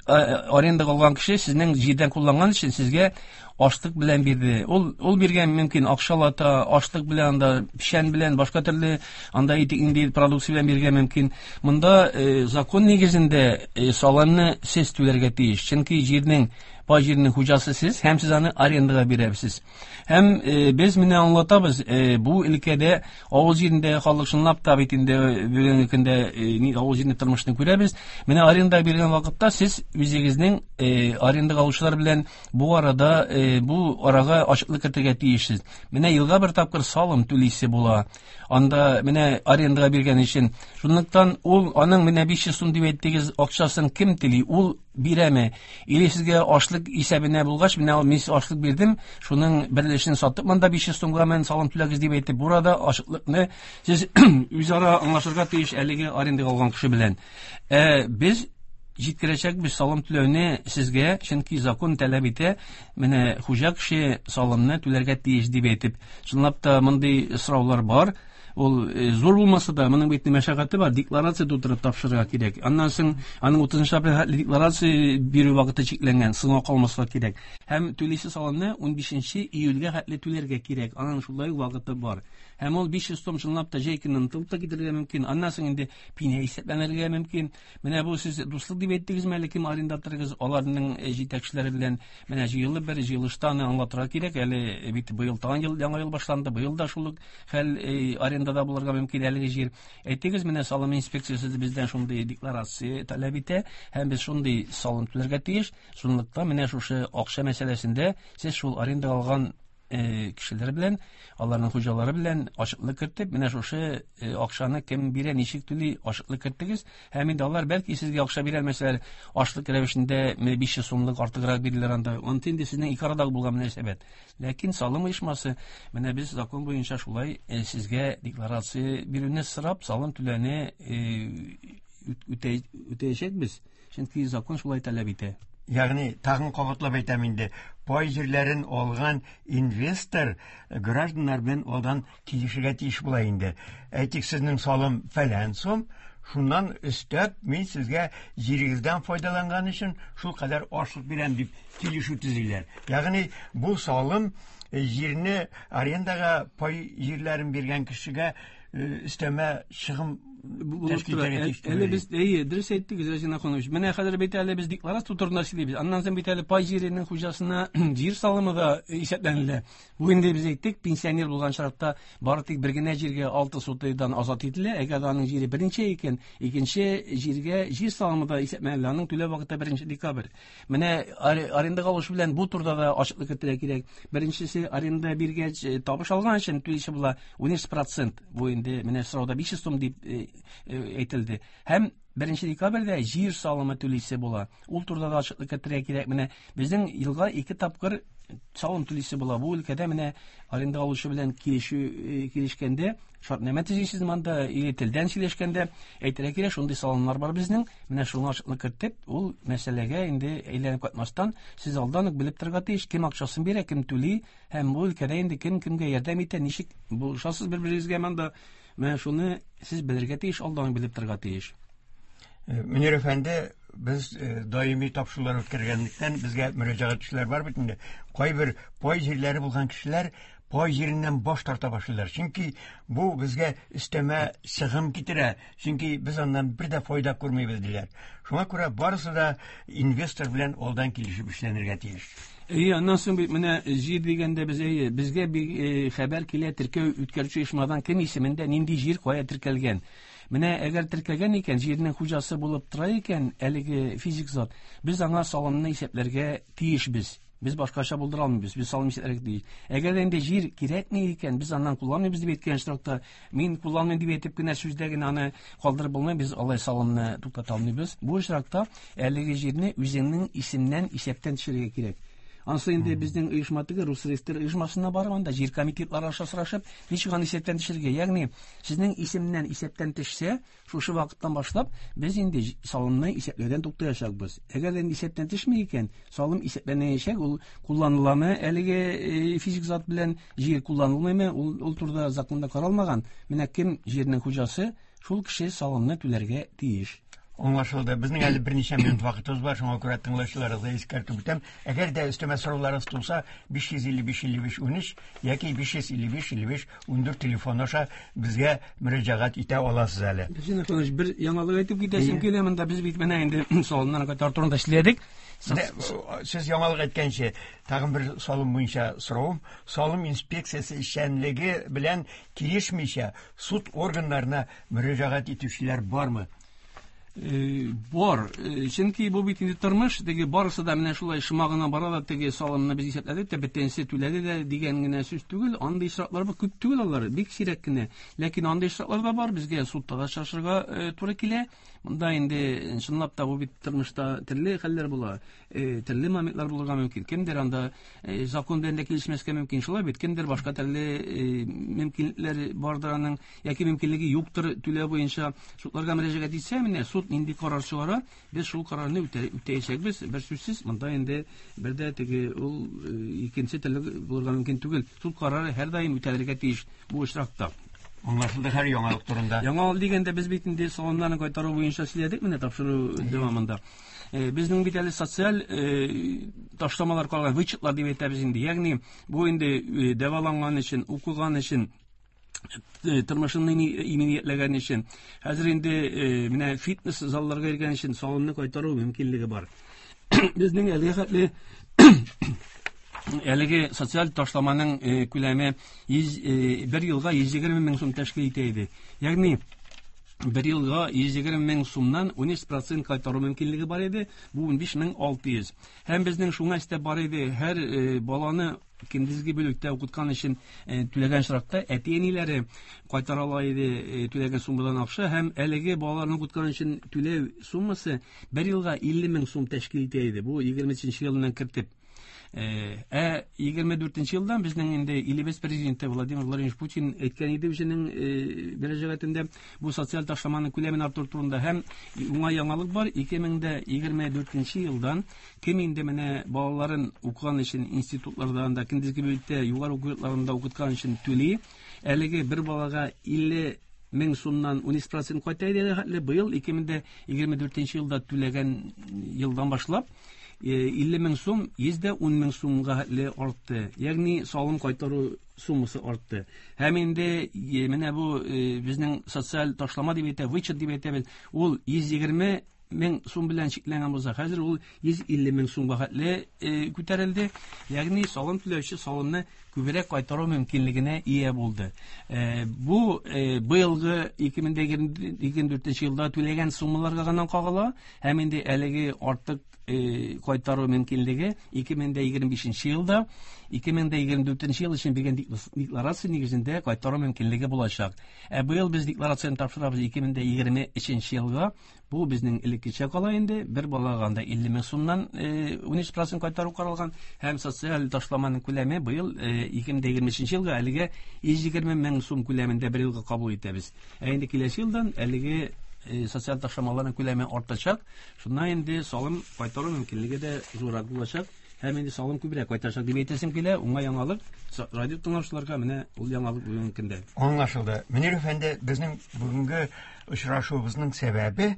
арендага алган кеше сезнең җирдән кулланган өчен сезгә Ашлык белән бирде. Ул ул биргән мөмкин акчалата, ашлык белән анда печән белән башка төрле анда инде продукция белән биргән мөмкин. Монда э, закон нигезендә э, салымны сез түләргә тиеш. Чөнки җирнең пай җиренең хуҗасы сез һәм сез аны арендага бирәсез. Һәм э, без менә аңлатабыз, э, бу өлкәдә авыл җирендә халык чынлап та бит инде бүгенге көндә э, авыл җирендә тормышны күрәбез. Менә аренда биргән вакытта сез үзегезнең э, арендага алучылар белән бу арада э, бу арага ачыклык кертергә тиешсез. Менә елга бер тапкыр салым түлисе була. Анда менә арендага биргән өчен. Шунлыктан ул аның менә биш йөз сум дип әйттегез, акчасын кем тели? Ул бирәме? Или сезгә ашлык исәбенә булгач, менә мин ашлык бирдем, шуның бер өлешен сатып монда биш йөз сумга мен салым түләгез дип әйтеп, бу арада ачыклыкны сез үзара аңлашырга тиеш әлеге арендага алган кеше белән. Ә без җиткерәчәкбез салым түләүне сезгә, чөнки закон таләп итә, менә хуҗа кеше салымны түләргә тиеш дип әйтеп. Чынлап та мондый сораулар бар. Ул зур булмаса да, моның бит мәшәкате бар, декларация тутырып тапшырырга кирәк. Аннан соң аның утызынчы апрель декларация бирү вакыты чикләнгән, соңга калмаска кирәк. Һәм түлисе салымны унбишенче июльгә хәтле түләргә кирәк. Аның шулай вакыты бар. Һәм ул биш йөз сум чынлап та җәй көнен онытылып та китәргә мөмкин. Аннан соң инде пеня исәпләнергә мөмкин. Менә бу сез дуслык дип әйттегезме әле, кем арендаторыгыз, аларның җитәкчеләре белән менә җыелып бер җыелышта аны аңлатырга кирәк. Әле бит быел тагын ел, яңа ел башланды. Быел да шул ук хәл арендада булырга мөмкин әлеге җир. Әйтегез, менә салым инспекциясе бездән шундый декларация таләп итә һәм без шундый салым түләргә тиеш. Шунлыктан менә шушы акча мәсьәләсендә сез шул аренда алган кешеләр белән, аларның хуҗалары белән ачыклык кертеп, менә шушы акчаны кем бирә, ничек түли, ачыклык керттегез. Һәм инде алар бәлки сезгә акча бирә алмасалар, ашлык рәвешендә биш йөз сумлык артыграк бирелер анда. Анты инде сезнең ике арадагы булган мөнәсәбәт. Ләкин салым оешмасы, менә без закон буенча шулай сезгә декларация бирүне сорап, салым түләүне үтәячәкбез. Чөнки закон шулай таләп итә. Ягъни тагын кабатлап әйтәм инде, пай җирләрен алган инвестор гражданнар белән алдан килешергә тиеш була инде. Әйтик, сезнең салым фәлән сум, шуннан өстәп мин сезгә җирегездән файдаланган өчен шул кадәр ашлык бирәм дип килешү төзиләр. Ягъни бу салым җирне арендага пай җирләрен биргән кешегә өстәмә чыгым тәшкил итәргә тиеш. Әле без, әйе, дөрес әйттегез, Разин Ахунович. Менә хәзер бит әле без декларация турында сөйлибез. Аннан соң бит әле пай җиренең хуҗасына җир салымы да исәпләнелә. Бу инде без әйттек, пенсионер булган очракта бары тик бер генә җиргә алты сотыйдан азат ителә. Әгәр аның җире беренче икән, икенче җиргә җир салымы да исәпләнелә. Аның түләү вакыты беренче декабрь. Менә арендага алучы белән бу турыда да ачыклык кертергә кирәк. Беренчесе, аренда биргәч табыш алган өчен түлисе була ун процент. Бу инде менә сорауда биш йөз сум дип әйтелде. Һәм беренче декабрьдә җир салымы түлисе була. Ул турыда да ачыклык кертергә кирәк. Менә безнең елга ике тапкыр салым түлисе була. Бу өлкәдә менә аренда алучы белән килешү килешкәндә, шартнамә төзисез монда или телдән сөйләшкәндә әйтергә кирәк, шундый салымнар бар безнең. Менә шуны ачыклык кертеп, ул мәсьәләгә инде әйләнеп кайтмастан, сез алдан ук белеп торырга тиеш, кем акчасын бирә, кем түли, һәм бу өлкәдә инде кем кемгә ярдәм итә, ничек булышасыз бер-берегезгә монда. Менә шуны сез белергә тиеш, алдан белеп торырга тиеш. Мөнир әфәнде, без даими тапшырулар үткәргәнлектән безгә мөрәҗәгать итүчеләр бар бит инде. Кайбер пай җирләре булган кешеләр пай җиреннән баш тарта башлыйлар. Чөнки бу безгә өстәмә чыгым китерә. Чөнки без аннан бер дә файда күрмибез диләр. Шуңа күрә барысы да инвестор белән алдан килешеп эшләнергә тиеш. Әйе, аннан соң бит менә җир дигәндә без, әйе, безгә бик хәбәр килә теркәү үткәрүче оешмадан кем исемендә нинди җир кая теркәлгән. Менә әгәр теркәлгән икән, җирнең хуҗасы булып тора икән, әлеге физик зат, без аңа салымны исәпләргә тиешбез. Без башкача булдыра алмыйбыз, без салым исәпләргә тиеш. Әгәр инде җир кирәкми икән, без аннан кулланмыйбыз дип әйткән очракта, мин кулланмыйм дип әйтеп кенә сүздә генә аны калдырып булмый, без алай салымны туктата алмыйбыз. Бу очракта әлеге җирне үзеңнең исемнән исәптән төшерергә кирәк. Ансы инде безнең оешма теге Росреестр оешмасына барып, анда җир комитетлары аша сорашып, ничек аны исәптән төшерергә. Ягъни сезнең исемнән исәптән төшсә, шушы вакыттан башлап без инде салымны исәпләүдән туктаячакбыз. Әгәр инде исәптән төшми икән, салым исәпләнәчәк, ул кулланыламы әлеге физик зат белән җир кулланылмыймы, ул, ул турыда законда каралмаган. Менә кем җирнең хуҗасы, шул кеше салымны түләргә тиеш. Аңлашылды. Безнең әле берничә минут вакытыбыз бар, шуңа күрә тыңлаучыларыгызга искәртеп үтәм. Әгәр дә өстәмә сорауларыгыз туса, биш йөз илле биш илле биш унөч яки биш йөз илле биш илле биш ундүрт телефон аша безгә мөрәҗәгать итә аласыз әле. Безнең кылыч бер яңалык әйтеп китәсем килә, монда без бит менә инде салымнарны кайтару турында эшләдек. Сез яңалык әйткәнче, тагын бер салым буенча соравым. Салым инспекциясе эшчәнлеге белән килешмичә суд органнарына мөрәҗәгать итүчеләр бармы? Бар, чөнки бу бит инде тормыш, теге барысы да менә шулай шома гына бара да, теге салымны без исәпләдек тә, бөтенесе түләде дә дигән генә сүз түгел. Андый очраклар бар, күп түгел алар, бик сирәк кенә. Ләкин андый очраклар да бар, безгә судта да шашырга туры килә. Монда инде чынлап та бу бит тормышта төрле хәлләр була, төрле моментлар булырга мөмкин. Кемдер анда закон белән дә килешмәскә мөмкин, шулай бит, кемдер башка төрле мөмкинлекләр бардыр аның, яки мөмкинлеге юктыр түләү буенча. Судларга мөрәҗәгать итсә, менә суд нинди карар чыгара, без шул карарны үтәячәкбез. Бер сүзсез, монда инде бер дә теге ул икенче төрле булырга мөмкин түгел. Суд карары һәрдаим үтәлергә тиеш бу очракта. Аңлашылды һәр яңалык турында. Яңалык дигәндә без бит инде салымнарны кайтару буенча сөйләдек менә тапшыру дәвамында. Безнең бит әле социаль ташламалар калган, вычетлар дип әйтәбез инде. Ягъни бу инде дәваланган өчен, укыган өчен, тормышын иминиятләгән өчен, хәзер инде менә фитнес залларга йөргән өчен салымны кайтару мөмкинлеге бар. Безнең әлеге хәтле әлеге социаль ташламаның күләме бер елга йөз егерме мең сум тәшкил итә иде. Ягъни бер елга йөз егерме мең сумнан унөч процент кайтару мөмкинлеге бар иде. Бу унбиш мең алты йөз. Һәм безнең шуңа өстәп бар иде, һәр баланы көндезге бүлектә укыткан өчен түләгән очракта әти-әниләре кайтара ала иде түләгән суммадан акча, һәм әлеге балаларны укыткан өчен түләү суммасы бер елга илле мең сум тәшкил итә иде. Бу егерме өченче елдан кертеп. Ә егерме дүртенче елдан безнең инде илебез президенты Владимир Владимирович Путин әйткән иде үзенең мөрәҗәгатендә бу социаль ташламаның күләмен арттыру турында, һәм уңай яңалык бар. Ике мең дә егерме дүртенче елдан кем инде менә балаларын укыган өчен институтларда, анда көндезге бүлектә, югары уку йортларында укыткан өчен түли, әлеге бер балага илле мең сумнан унөч процент кайта иде хәтле. Быел ике мең дә егерме дүртенче елда түләгән елдан башлап илле мең сум йөз дә ун мең сумга хәтле артты. Ягъни салым кайтару суммасы артты. Һәм инде менә бу безнең социаль ташлама дип әйтә, вычет дип әйтәбез, ул йөз егерме мең сум белән чикләнгән булса, хәзер ул йөз илле мең сумга хәтле күтәрелде. Ягъни салым түләүче салымны күбрәк кайтару мөмкинлегенә ия булды. Бу быелгы ике мең дә егерме дүртенче елда түләгән суммаларга гына кагыла, һәм инде әлеге артык кайтару мөмкинлеге ике мең дә егерме бишенче елда, ике мең дә егерме дүртенче ел өчен биргән декларация нигезендә кайтару мөмкинлеге булачак. Ә быел без декларацияне тапшырабыз ике мең дә егерме өченче елга. Бу безнең элеккечә кала инде, бер балага анда илле мең сумнан унөч процент кайтару каралган, һәм социаль ташламаның күләме быел ике мең дә егерме өченче елга әлегә йөз егерме мең сум күләмендә бер елга кабул итәбез. Ә инде киләсе елдан әлеге социаль ташламаларның күләме артачак. Шуннан инде салым кайтару мөмкинлеге дә зуррак булачак, һәм инде салым күбрәк кайтачак дип әйтәсем килә. Уңай яңалык радио тыңлаучыларга менә ул яңалык бүгенге көндә. Аңлашылды. Мөнир әфәнде, безнең бүгенге очрашуыбызның сәбәбе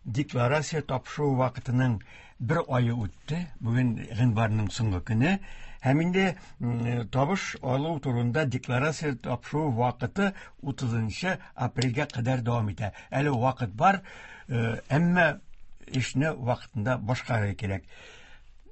декларация тапшыру вакытының бер айы үтте. Бүген гыйнварның соңгы көне. Һәм инде табыш алу турында декларация тапшыру вакыты утызынчы апрельгә кадәр дәвам итә. Әле вакыт бар, әмма эшне вакытында башкарырга кирәк.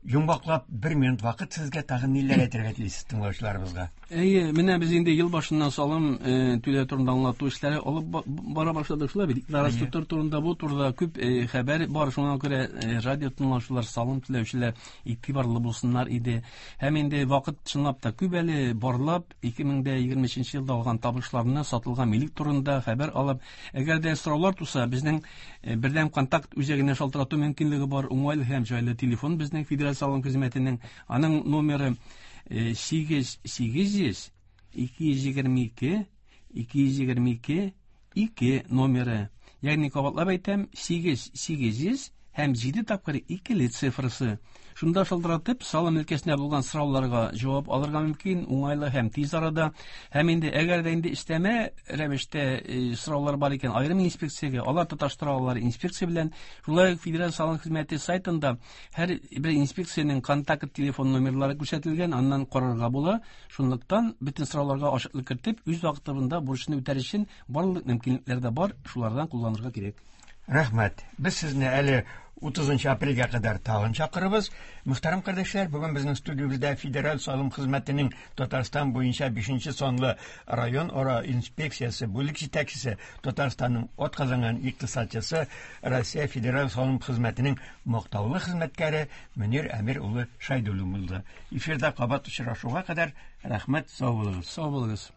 Йомгаклап бер минут вакыт сезгә, тагын ниләр әйтергә телисез тыңлаучыларыбызга? Әйе, менә без инде ел башыннан салым түләү турында аңлату эшләре алып бара башладык, шулай бит. Декларация турында бу турыда күп хәбәр бар, шуңа күрә радио тыңлаучылар, салым түләүчеләр игътибарлы булсыннар иде. Һәм инде вакыт чынлап та күп әле, барлап ике мең дә егерме өченче елда алган табышларны, сатылган милек турында хәбәр алып, әгәр дә сораулар туса, безнең бердәм контакт үзәгенә шалтырату мөмкинлеге бар. Уңайлы һәм җайлы телефон безнең федераль салым хезмәтенең, аның номеры сигез сигез йөз ике йөз егерме ике ике йөз егерме ике ике номеры. Ягъни кабатлап әйтәм, сигез сигез йөз һәм җиде тапкыр икеле цифрасы. Шунда шылтыратып, салым өлкәсенә булган сорауларга җавап алырга мөмкин, уңайлы һәм тиз арада. Һәм инде әгәр дә инде өстәмә рәвештә сораулар бар икән, аерым инспекциягә, алар тоташтыра алалар инспекция белән. Шулай ук Федераль салым хезмәте сайтында һәр бер инспекциянең контакт телефон номерлары күрсәтелгән, аннан карарга була. Шунлыктан бөтен сорауларга ачыклык кертеп, үз вакытында бурычны үтәр өчен барлык мөмкинлекләр дә бар, шулардан кулланырга кирәк. Рәхмәт. Без сезне әле утызынчы апрельгә кадәр тагын чакырабыз. Мөхтәрәм кардәшләр, бүген безнең студиябездә Федераль салым хезмәтенең Татарстан буенча бишенче санлы район ара инспекциясе бүлек җитәкчесе, Татарстанның атказанган икътисадчысы, Россия Федераль салым хезмәтенең мактаулы хезмәткәре Мөнир Әмир улы Шайдуллин булды. Эфирда кабат очрашуга кадәр рәхмәт, сау булыгыз. Сау булыгыз.